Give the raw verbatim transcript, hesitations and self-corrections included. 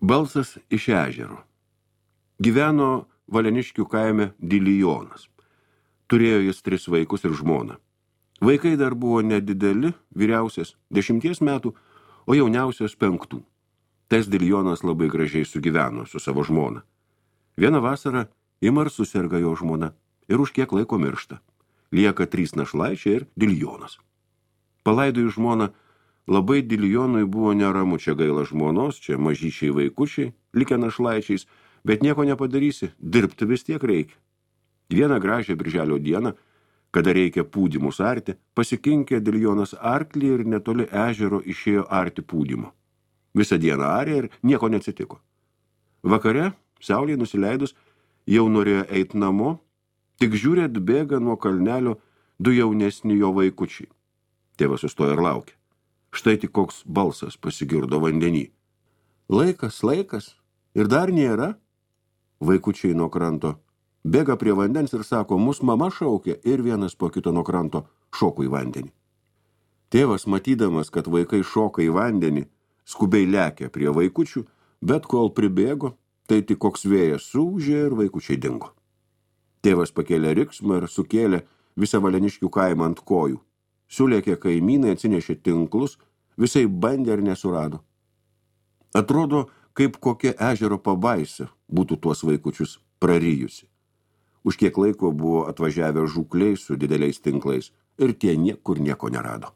Balsas iš ežero. Gyveno Valeniškių kaime Dilijonas. Turėjo jis tris vaikus ir žmoną. Vaikai dar buvo nedideli, vyriausias dešimties metų, o jauniausias penktų. Tas Dilijonas labai gražiai sugyveno su savo žmona. Vieną vasarą ima ir suserga jo žmona ir už kiek laiko miršta. Lieka trys našlaičiai ir Dilijonas. Palaidojus žmoną, labai Dilijonui buvo neramu, čia gaila žmonos, čia mažyčiai vaikučiai, likę našlaičiais, bet nieko nepadarysi, dirbti vis tiek reikia. Vieną gražią birželio dieną, kada reikia pūdymus arti, pasikinkė Dilijonas arklį ir netoli ežero išėjo arti pūdymo. Visą dieną arė ir nieko neatsitiko. Vakare, saulei nusileidus, jau norėjo eiti namo, tik žiūrė atbėga nuo kalnelio du jaunesni jo vaikučiai. Tėvas sustojo ir laukė. Štai tik koks balsas pasigirdo vandenį. Laikas, laikas, ir dar nėra. Vaikučiai nuo kranto bėga prie vandens ir sako, mus mama šaukia, ir vienas po kito nuo kranto šoko į vandenį. Tėvas, matydamas, kad vaikai šoka į vandenį, skubiai lekia prie vaikučių, bet kol pribėgo, tai tik koks vėjas suūžė ir vaikučiai dingo. Tėvas pakėlė riksmą ir sukėlė visą Valeniškių kaimą ant kojų. Sulėkė kaimynai, atsinešė tinklus, visai bandė ir nesurado. Atrodo, kaip kokia ežero pabaisa būtų tuos vaikučius prarijusi. Už kiek laiko buvo atvažiavę žūkliai su dideliais tinklais ir tie niekur nieko nerado.